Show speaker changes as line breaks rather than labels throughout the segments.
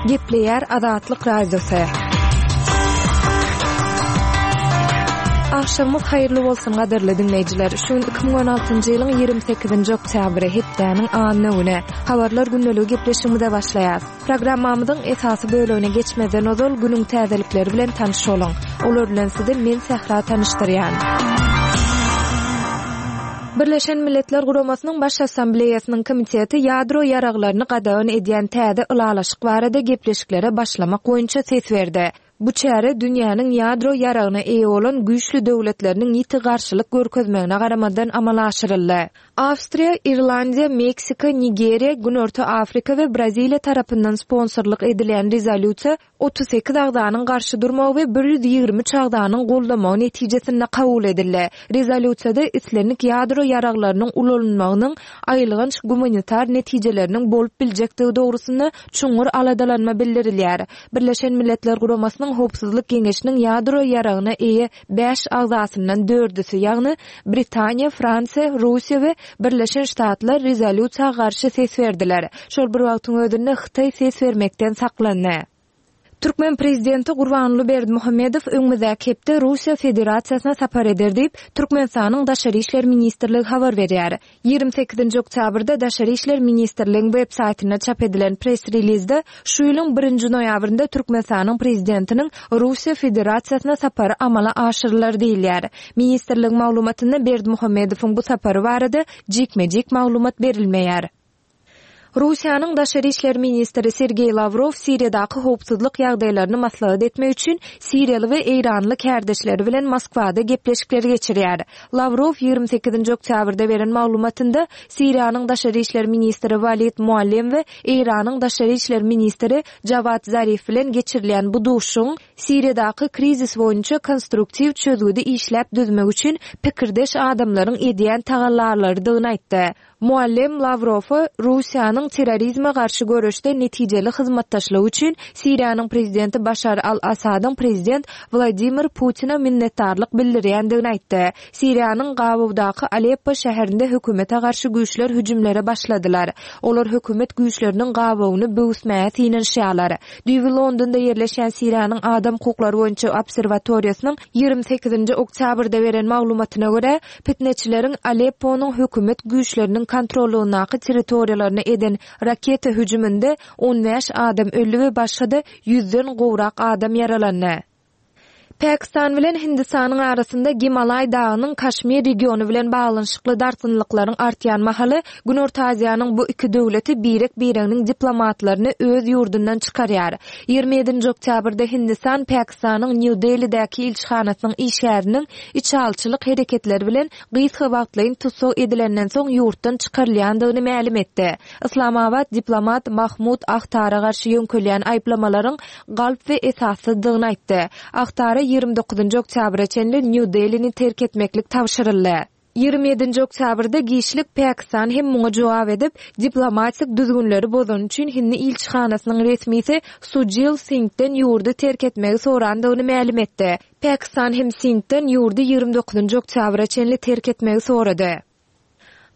Gepleýär Azatlyk Radiosy. Agşamyňyz haýyrly bolsun gadyrly diňleýjiler. Şu gün 2016-njy ýylyň 28-nji oktýabry, hepdäniň anna güni. Habarlar gündeligi gepleşigimize başlaýas. Programmamyzyň esasy bölegine geçmezden ozal günüň täzelikleri bilen tanyş boluň. Olar bilen sizi men Sähra tanyşdyrýan. Birleşen Milletler Guramasynyň Baş Assambleýasynyň komiteti ýadro ýaraglaryny gadagan edýän täze ylalaşyk barada gepleşiklere başlamak boýunça ses berdi. Bu çäre dünýäniň ýadro ýaragyna eýe bolan güýçli döwletleriniň ýiti garşylyk görkezmegine garamazdan amala aşyryldy. Awstriýa, Irlandiýa, Meksika, Nigeriýa, Günorta Afrika we Braziliýa tarapyndan sponsorlyk edilýän rezolýusiýa 38 agzanyň garşy durmagy we 123 agzanyň goldamagy netijesinde kabul edildi. Rezolýusiýada islendik ýadro ýaraglarynyň ulanylmagynyň aýylganç gumanitar netijeleriniň bolup biljekdigi dogrusynda çuňňur aladalanma bildirilýär. Birleşen Milletler Guramasynyň Howpsuzlyk Geňeşiniň ýadro ýaragyna eýe bäş agzasyndan dördüsi, ýagny Britaniýa, Fransiýa, Russiýa we Birleşen Ştatlar rezolýusiýa garşy ses berdiler. Şol bir wagtyň özünde Hytaý ses bermekden saklandy. Türkmen prezidenti Gurbanguly Berdimuhamedow öňümizdäki hepde Russiýa Federasiýasyna sapar eder diýip, Türkmenistanyň Daşary işler ministrligi habar berýär. 28-nji oktýabrda Daşary işler ministrligiň web saýtynda çap edilen press-relizde şu ýylyň birinji noýabrynda Türkmenistanyň Prezidentiniň Russiýa Federasiýasyna sapary amala aşyrylar diýilýär. Ministrligiň maglumatynda Berdimuhamedowyň bu sapary barada jikme-jik maglumat berilmeýär. Russiýanyň daşary işler ministri Sergeý Lawrow Siriýadaky howpsuzlyk ýagdaýlaryny maslahat etmek üçin siriýaly we eýranly kärdeşleri bilen Moskwada gepleşikleri geçirýär. Lawrow 28-nji oktýabrda beren maglumatynda Siriýanyň daşary işler ministri Walid Muallem we Eýranyň daşary işler ministri Jawad Zarif bilen geçirilýän bu duşuşygyň Siriýadaky krizis boýunça konstruktiw çözgüdi işläp düzmek üçin pikirdeş adamlaryň edýän tagallalarydygyny aýtdy. Muallem Lawrowa Russiýanyň terrorizme garşy göreşde netijeli hyzmatdaşlygy üçin Siriýanyň prezidenti Başar al-Assadyň prezident Wladimir Putine minnetdarlyk bildirýändigini aýtdy. Siriýanyň gabawdaky Aleppo şäherinde hökümete garşy güýçler hüjümlere başladylar. Olar hökümet güýçleriniň gabawyny böwüsmäge synanyşýarlar. Düýbi Londonda ýerleşýän Siriýanyň adam hukuklary boýunça obserwatoriýasynyň 28-nji oktýabrda beren maglumatyna görä, Pitneçileriň Alepponyň hökümet güýçleriniň kontrollygyndaky territoriýalaryna eden raketa hüjüminde 15 adam öldi we başga-da ýüzden gowrak adam ýaralandy. Pakistan bilen Hindistanyň arasynda Gimalaý dagynyň Kaşmir regiony bilen baglanyşykly dartgynlyklaryň artýan mahaly, Günorta Aziýanyň bu iki döwleti birek-bireginiň diplomatlaryny öz ýurdundan çykarýar. 27-nji oktýabrda Hindistan Pakistanyň Nýu-Delidäki ilçihanasynyň işgäriniň içalyçylyk hereketleri bilen gysga wagtlaýyn tussag edilenden soň ýurtdan çykarylýandygyny mälim etdi. Yslamabat diplomat Mahmud Ahtara garşy ýöňkelýän aýyplamalaryň galp we esassyzdygyny aýtdy. Ahtara 29-njy oktýabra çenli Nýu-Delini terk etmeklik tabşyryldy. 27-nji oktýabrda giçlik Pakistan hem muňa jogap edip, diplomatik düzgünleri bozany üçin hindi ilçihanasynyň resmisi Sujil Singden ýurdy terk etmegi sorandygyny mälim etdi. Pakistan hem Singden ýurdy 29-njy oktýabra çenli terk etmegi sorady.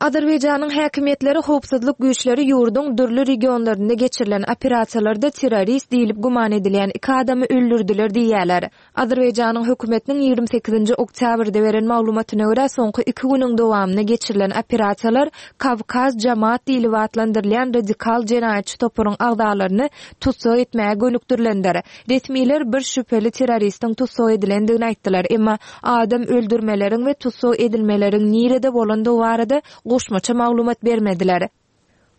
Azerbaýjanyň häkimiýetleri howpsuzlyk güýçleri ýurduň dürli regionlarynda geçirilen operasiýalarda terrorist diýlip güman edilýän iki adamy öldürdiler diýýärler. Azerbaýjanyň hökümetiniň 28-nji oktýabrda beren maglumatyna görä, soňky iki günüň dowamynda geçirilen operasiýalar Kawkaz Jamaat diýlip atlandyrylýan radikal jenaýatçy toparyň agzalaryny tussag etmäge gönükdirilendir. Resmiler bir şübheli terroristiň tussag edilendigini aýtdylar, emma adam öldürmeleriň we tussag edilmeleriň nirede bolandygy barada goşmaça maglumat bermediler.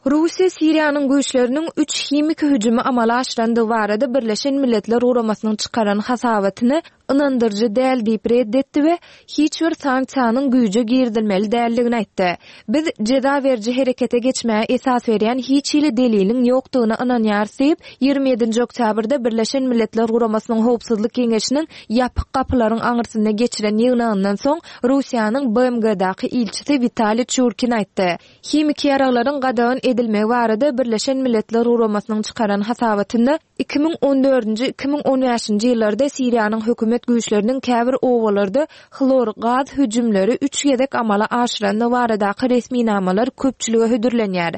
Russiýa Siriýanyň güýçleriniň üç himiki hüjümi amala aşyrandygy barada Birleşen Milletler Guramasynyň çykaran hasabatyny ynandyryjy däl diýip ret etdi we hiç bir sanksiýanyň güýje girizilmeli däldigini aýtdy. Biz jeza beriji herekete geçmäge esas berýän hiç hili deliliň ýokdugyna ynanýarys diýip, 27-nji oktýabrda Birleşen Milletler Guramasynyň Howpsuzlyk Geňeşiniň ýapyk gapylaryň aňyrsynda geçiren ýygnagyndan soň Russiýanyň BMG-daky ilçisi Witaliý Çurkin aýtdy. Himiki ýaraglaryň gadagan edilmegi barada Birleşen Milletler Guramasynyň çykaran hasabatynda 2014-nji, 2015-nji ýyllarda Siriýanyň hökümet güýçleriniň käbir obalarda hlor gaz hüjümleri üç gezek amala aşyrandygy baradaky resminamalar köpçülige hödürlenýär.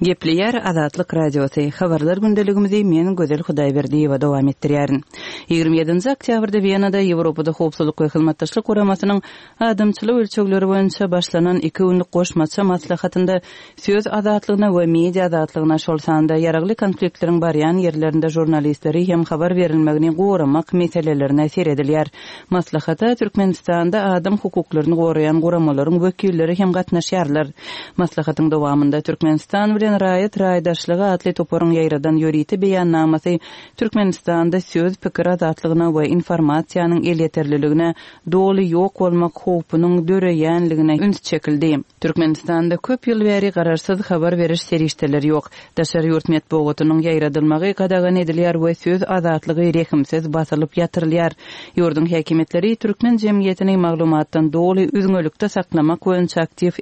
Gepleýär Azatlyk Radiosy, Habarlar gündeligimizi men Gözel Hudaýberdiýewa dowam etdirýärin. 27-nji oktýabrda Wenada Ýewropada Howpsuzlyk we Hyzmatdaşlyk Guramasynyň adamçylyk ölçegleri boýunça başlanan iki günlük goşmaça maslahatynda söz azatlygyna we media azatlygyna, şol sanda ýaragly konfliktleriň barýan ýerlerinde žurnalistleri hem habar berilmegini goramak meselelerine seredilýär. Maslahata Türkmenistanda adam hukuklaryny goraýan guramalaryň wekilleri hem gatnaşýarlar. Maslahatyň dowamynda Türkmenistan bilen raýat raýdaşlygy atly toparyň ýaýradan ýörite beýannamasy Türkmenistanda söz, pikir azatlygyna we informasiýanyň elýeterliligine doly ýok bolmak howpunyň döreýänligine üns çekildi. Türkmenistanda köp ýyl bäri garaşsyz habar beriş serişdeleri ýok. Daşary ýurt metbugatynyň ýaýradylmagy gadagan edilýär we söz azatlygy rehimsiz basylyp ýatyrylýar. Ýurduň häkimiýetleri türkmen jemgyýetini maglumatdan doly üzňelikde saklamak boýunça aktiw.